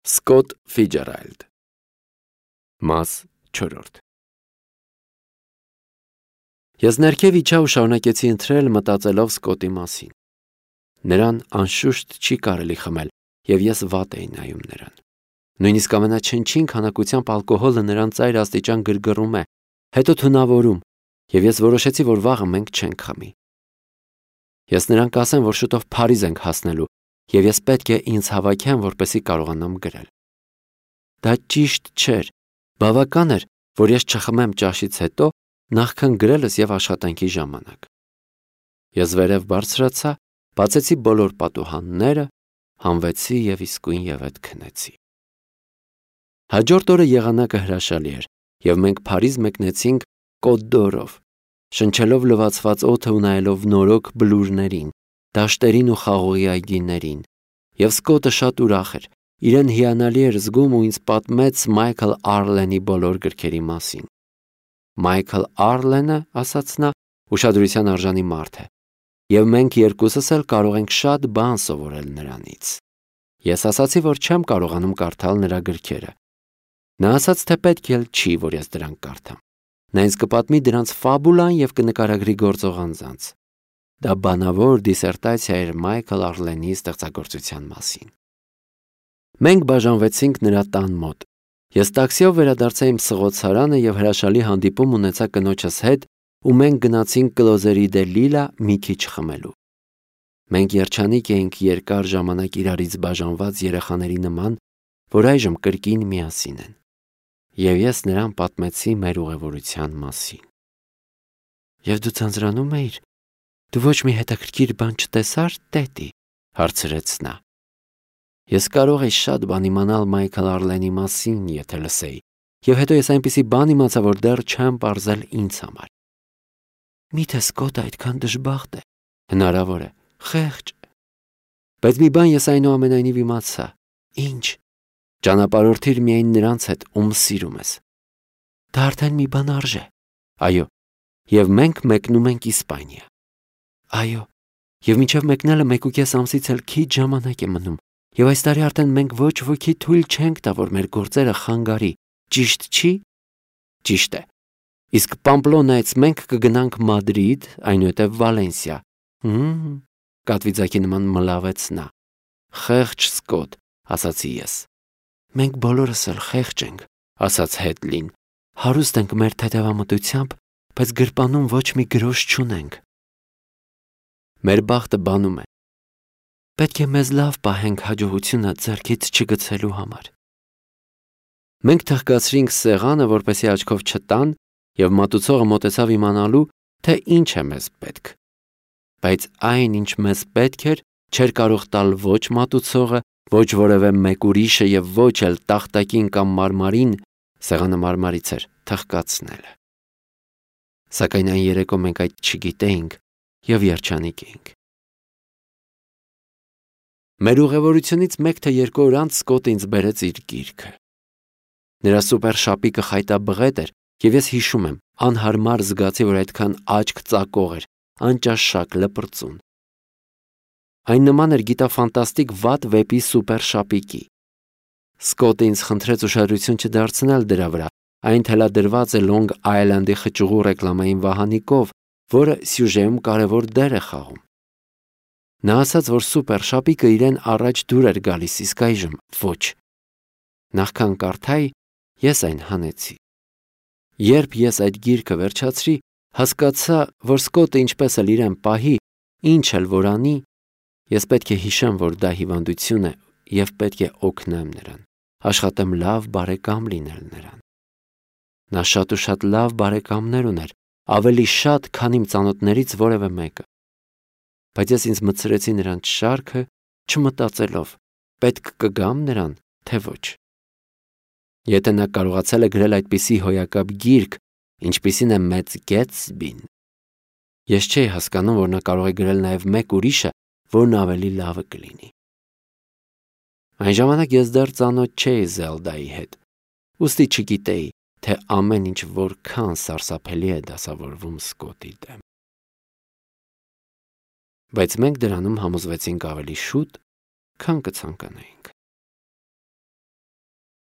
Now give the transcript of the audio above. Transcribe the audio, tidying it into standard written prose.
Սկոտ Ֆիջերալդ Մաս 4 Ես ներքև իջա ու շարունակեցի ընթրել մտածելով Սկոտի մասին։ Նրան անշուշտ չի կարելի խմել, և ես վատ էի նայում նրան։ Նույնիսկ ամենաչնչին քանակությամբ ալկոհոլը նրան ծայր աստիճան գրգռում է, հետո թունավորում, և ես որոշեցի, որ վաղը մենք չենք խմի։ Ես նրան կասեմ, որ շուտով Փարիզ ենք հասնելու, և ես պետք է ինձ հավաքեմ, որպեսզի կարողանամ գրել։ Դա ճիշտ չէր, բավական էր, որ ես չխմեմ ճաշից հետո, նախքան գրելս և աշխատանքի ժամանակ։ Ես վերև բարձրացա, բացեցի բոլոր պատուհանները, հանվեցի և իսկույնևեթ քնեցի։ Հաջորդ օրը եղանակը հրաշալի էր, և մենք Փարիզ մեկնեցինք Կոտ դ'Որով, շնչելով լվացված օդը ու նայելով նորոգ բլուրներին, դաշտերին ու խաղողի այգիներին, և Սկոտը շատ ուրախ էր, իրեն հիանալի էր զգում ու ինձ պատմեց Մայքլ Արլենի բոլոր գրքերի մասին։ Մայքլ Արլենը, ասաց նա, ուշադրության արժանի մարդ է, և մենք երկուսս էլ կարող ենք շատ բան սովորել նրանից։ Ես ասացի, որ չեմ կարողանում կարդալ նրա գրքերը։ Նա ասաց, թե պետք էլ չի, որ ես դրանք կարդամ։ Նա ինձ կպատմի դրանց ֆաբուլան և կնկարագրի գործող անձանց։ Դա բանավոր դիսերտացիա էր Մայքլ Արլենի ստեղծագործության մասին։ Մենք բաժանվեցինք նրա տան մոտ։ Ես տաքսիով վերադարձա իմ սղոցարանը և հրաշալի հանդիպում ունեցա կնոջս հետ, ու մենք գնացինք Կլոզերի դե Լիլա մի քիչ խմելու։ Մենք երջանիկ էինք երկար ժամանակ իրարից բաժանված երեխաների նման, որ այժմ կրկին միասին են։ Եվ ես նրան պատմեցի մեր ուղևորության մասին։ Եվ դու ձանձրանում էիր։ Դու ոչ մի հետաքրքիր բան չտեսար, տետի, հարցրեց նա։ Ես կարող էի շատ բան իմանալ Մայքլ Արլենի մասին, եթե լսեի, և հետո ես այնպիսի բան իմացա, որ դեռ չեմ պարզել ինձ համար։ Միթե Սկոտը այդքան դժբախտ է։ Հնարավոր է, խեղճ։ Բայց մի բան ես այնուամենայնիվ իմացա։ Ինչ։ Ճանապարհորդիր միայն նրանց հետ, ում սիրում ես։ Դա արդեն մի բան արժե։ Այո, և մենք մեկնում ենք Իսպանիա։ Այո, և մինչև մեկնելը 1.5 ամսից էլ քիչ ժամանակ է մնում, և այս տարի արդեն մենք ոչ ոքի թույլ չենք տա, որ մեր գործերը խանգարի, ճիշտ չի։ Ճիշտ է։ Իսկ Պամպլոնայից մենք կգնանք Մադրիդ, այնուհետև Վալենսիա։ Կատվիձակի նման մլավեց նա։ Խեղճ Սկոտ, ասացի ես։ Մենք բոլորս էլ խեղճ ենք, ասաց Հետլին։ Հարուստ ենք մեր թեթևամտությամբ, բայց գրպանում ոչ մի գրոշ չունենք։ Մեր բախտը բանում է։ Պետք է մեզ լավ պահենք հաջողությունը ձեռքից չգցելու համար։ Մենք թխկացրինք սեղանը, որպեսզի աչքով չտան, և մատուցողը մոտեցավ իմանալու, թե ինչ է մեզ պետք։ Բայց այն, ինչ մեզ պետք էր, չէր կարող տալ ոչ մատուցողը, ոչ որևէ մեկ ուրիշը և ոչ էլ տախտակին կամ մարմարին, սեղանը մարմարից էր, թխկացնելը։ Սակայն այն երեկո մենք այդ չգիտեինք և երջանիկ էինք։ Մեր ուղևորությունից 1 թե 2 օր անց Սկոտը ինձ բերեց իր գիրքը։ Նրա սուպեր շապիկը խայտաբղետ էր, և ես հիշում եմ, անհարմար զգացի, որ այդքան աչք ծակող էր, անճաշակ, լպրծուն։ Այն նման էր գիտաֆանտաստիկ վատ վեպի սուպեր շապիկի։ Սկոտը ինձ խնդրեց ուշադրություն չդարձնել դրա վրա, այն թելադրված է Լոնգ Այլանդի խճուղու ռեկլամային վահանիկով, որը սյուժեում կարևոր դեր է խաղում։ Նա ասաց, որ սուպեր շապիկը իրեն առաջ դուր էր գալիս, իսկ այժմ ոչ։ Նախքան կարդայի, ես այն հանեցի։ Երբ ես այդ գիրքը վերջացրի, հասկացա, որ Սկոտը ինչպես էլ իրեն պահի, ինչ էլ որ անի, ես պետք է հիշեմ, որ դա հիվանդություն է և պետք է օգնեմ նրան, աշխատեմ լավ բարեկամ լինել նրան։ Նա շատ ու շատ լավ բարեկամներ ուներ, ավելի շատ, քան իմ ծանոթներից որևէ մեկը։ Բայց ես ինձ մտցրեցի նրանց շարքը, չմտածելով, պետք կգամ նրան, թե ոչ։ Եթե նա կարողացել է գրել այդպիսի հոյակապ գիրք, ինչպիսին է Մեծ Գետսբին, ես չէի հասկանում, որ նա կարող է գրել նաև մեկ ուրիշը, որն ավելի լավը կլինի։ Այն ժամանակ ես դեռ ծանոթ չէի Զելդայի հետ, ուստի չգիտեի, թե ամեն ինչ որքան սարսափելի է դասավորվում Սկոտի դեմ։ Բայց մենք դրանում համոզվեցինք ավելի շուտ, քան կցանկանայինք։